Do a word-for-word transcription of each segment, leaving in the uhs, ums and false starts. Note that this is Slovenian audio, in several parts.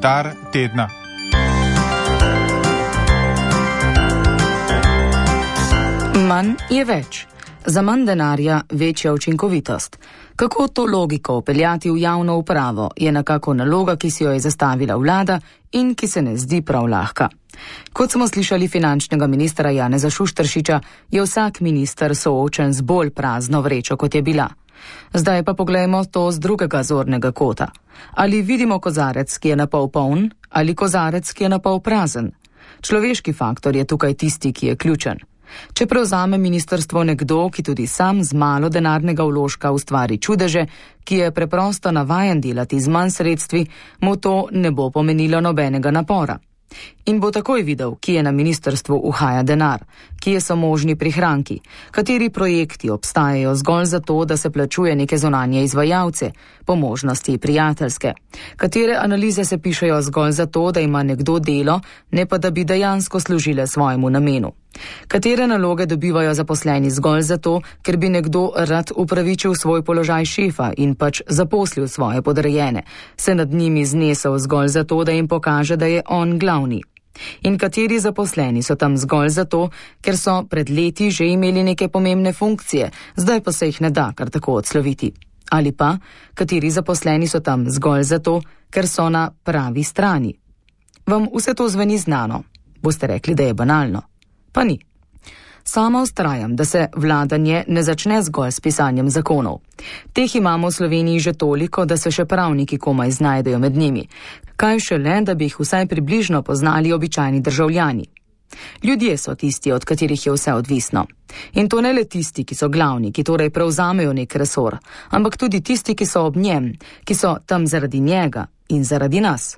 Komentar tedna. Manj je več. Za manj denarja večja učinkovitost. Kako to logiko upeljati v javno upravo, je nekako naloga, ki si jo je zastavila vlada in ki se ne zdi prav lahka. Kot smo slišali finančnega ministra Janeza Šušteršiča, je vsak minister soočen z bolj prazno vrečo, kot je bila. Zdaj pa poglejmo to z drugega zornega kota. Ali vidimo kozarec, ki je napol poln, ali kozarec, ki je napol prazen? Človeški faktor je tukaj tisti, ki je ključen. Če prevzame ministrstvo nekdo, ki tudi sam z malo denarnega vložka ustvari čudeže, ki je preprosto navajen delati z manj sredstvi, mu to ne bo pomenilo nobenega napora. In bo takoj videl, kje na ministrstvu uhaja denar, kje so možni prihranki, kateri projekti obstajajo zgolj zato, da se plačuje neke zunanje izvajalce, po možnosti prijateljske, katere analize se pišejo zgolj zato, da ima nekdo delo, ne pa da bi dejansko služile svojemu namenu. Katere naloge dobivajo zaposleni zgolj zato, ker bi nekdo rad upravičil svoj položaj šefa in pač zaposlil svoje podrejene, se nad njimi znesel zgolj zato, da jim pokaže, da je on glavni. In kateri zaposleni so tam zgolj zato, ker so pred leti že imeli neke pomembne funkcije, zdaj pa se jih ne da kar tako odsloviti. Ali pa, kateri zaposleni so tam zgolj zato, ker so na pravi strani. Vam vse to zveni znano? Boste rekli, da je banalno. Pa ni. Sama vztrajam, da se vladanje ne začne zgolj s pisanjem zakonov. Teh imamo v Sloveniji že toliko, da se še pravniki komaj znajdejo med njimi. Kaj šele, da bi jih vsaj približno poznali običajni državljani. Ljudje so tisti, od katerih je vse odvisno. In to ne le tisti, ki so glavni, ki torej prevzamejo nek resor, ampak tudi tisti, ki so ob njem, ki so tam zaradi njega in zaradi nas.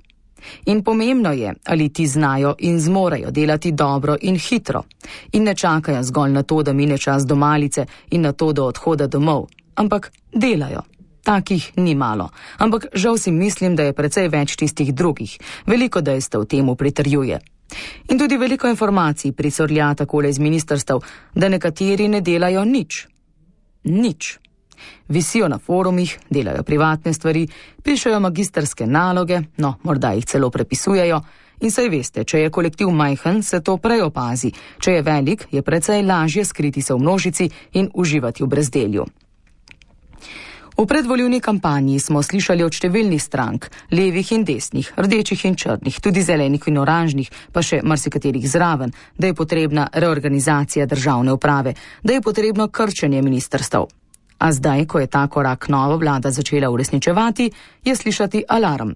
In pomembno je, ali ti znajo in zmorejo delati dobro in hitro. In ne čakajo zgolj na to, da mine čas do malice in na to, do odhoda domov, ampak delajo. Takih ni malo, ampak žal si mislim, da je precej več tistih drugih. Veliko dejstev temu pritrjuje. In tudi veliko informacij pricurlja takole iz ministrstev, da nekateri ne delajo nič. Nič. Visijo na forumih, delajo privatne stvari, pišejo magistrske naloge, no, morda jih celo prepisujejo. In saj veste, če je kolektiv majhen, se to prej opazi. Če je velik, je precej lažje skriti se v množici in uživati v brezdelju. V predvolilni kampanji smo slišali od številnih strank, levih in desnih, rdečih in črnih, tudi zelenih in oranžnih, pa še marsikaterih zraven, da je potrebna reorganizacija državne uprave, da je potrebno krčenje ministrstev. A zdaj, ko je ta korak nova vlada začela uresničevati, je slišati alarm.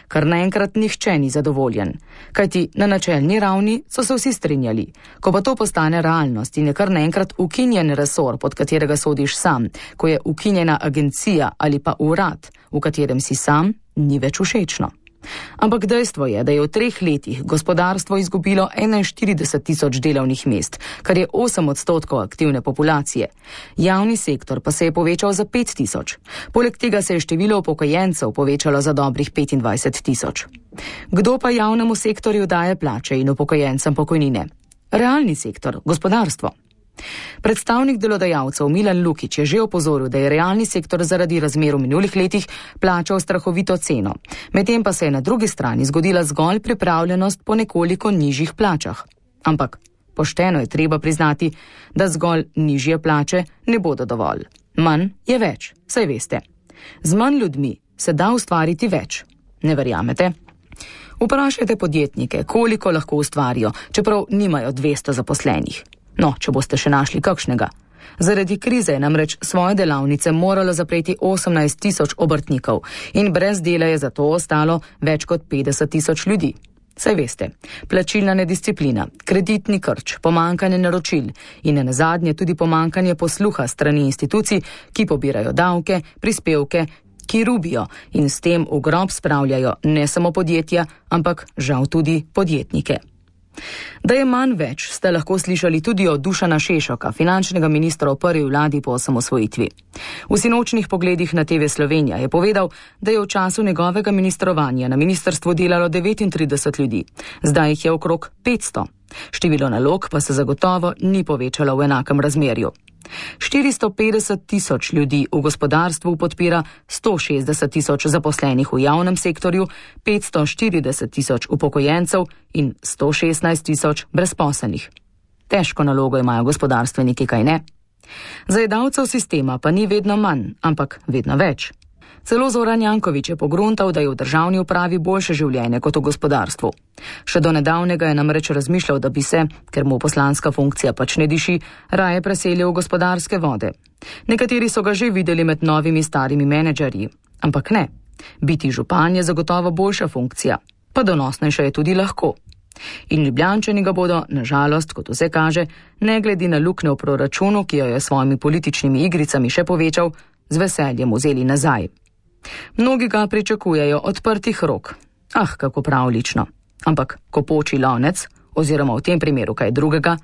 Kar naenkrat nihče ni zadovoljen. Kajti na načelni ravni so se vsi strinjali. Ko pa to postane realnost in je kar naenkrat ukinjen resor, pod katerega sodiš sam, ko je ukinjena agencija ali pa urad, v katerem si sam, ni več všečno. Ampak dejstvo je, da je v treh letih gospodarstvo izgubilo enainštirideset tisoč delovnih mest, kar je osem odstotkov aktivne populacije. Javni sektor pa se je povečal za pet tisoč. Poleg tega se je število upokojencev povečalo za dobrih petindvajset tisoč. Kdo pa javnemu sektorju daje plače in upokojencem pokojnine? Realni sektor, gospodarstvo. Predstavnik delodajalcev Milan Lukić je že opozoril, da je realni sektor zaradi razmer v minulih letih plačal strahovito ceno. Medtem pa se je na drugi strani zgodila zgolj pripravljenost po nekoliko nižjih plačah. Ampak pošteno je treba priznati, da zgolj nižje plače ne bodo dovolj. Manj je več, saj veste. Z manj ljudmi se da ustvariti več. Ne verjamete? Vprašajte podjetnike, koliko lahko ustvarijo, čeprav nimajo dvesto zaposlenih. No, če boste še našli kakšnega. Zaradi krize je namreč svoje delavnice moralo zapreti osemnajst tisoč obrtnikov in brez dela je zato ostalo več kot petdeset tisoč ljudi. Saj veste, plačilna nedisciplina, kreditni krč, pomankanje naročil in nazadnje tudi pomankanje posluha strani institucij, ki pobirajo davke, prispevke, ki rubijo in s tem v grob spravljajo ne samo podjetja, ampak žal tudi podjetnike. Da je manj več, ste lahko slišali tudi od Dušana Šešoka, finančnega ministra v prvi vladi po osamosvojitvi. V sinočnih pogledih na T V Slovenija je povedal, da je v času njegovega ministrovanja na ministrstvu delalo devetintrideset ljudi, zdaj jih je okrog petsto. Število nalog pa se zagotovo ni povečalo v enakem razmerju. štiristo petdeset tisoč ljudi v gospodarstvu podpira sto šestdeset tisoč zaposlenih v javnem sektorju, petsto štirideset tisoč upokojencev in sto šestnajst tisoč brezposelnih. Težko nalogo imajo gospodarstveniki, kaj ne? Zajedavcev sistema pa ni vedno manj, ampak vedno več. Celo Zoran Janković je pogruntal, da je v državni upravi boljše življenje kot v gospodarstvu. Še do nedavnega je namreč razmišljal, da bi se, ker mu poslanska funkcija pač ne diši, raje preselil v gospodarske vode. Nekateri so ga že videli med novimi starimi menedžerji, ampak ne. Biti župan je zagotovo boljša funkcija, pa donosnejša je tudi lahko. In Ljubljančani ga bodo, nažalost, kot vse kaže, ne glede na luknjo v proračunu, ki jo je s svojimi političnimi igricami še povečal, z veseljem vzeli nazaj. Mnogi ga pričakujejo odprtih rok. Ah, kako pravlično. Ampak, ko poči lonec, oziroma v tem primeru kaj drugega,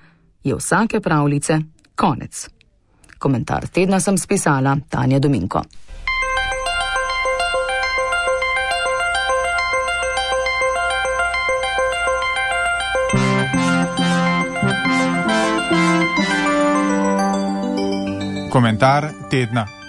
je vsake pravljice konec. Komentar tedna sem spisala Tanja Dominko. Komentar tedna.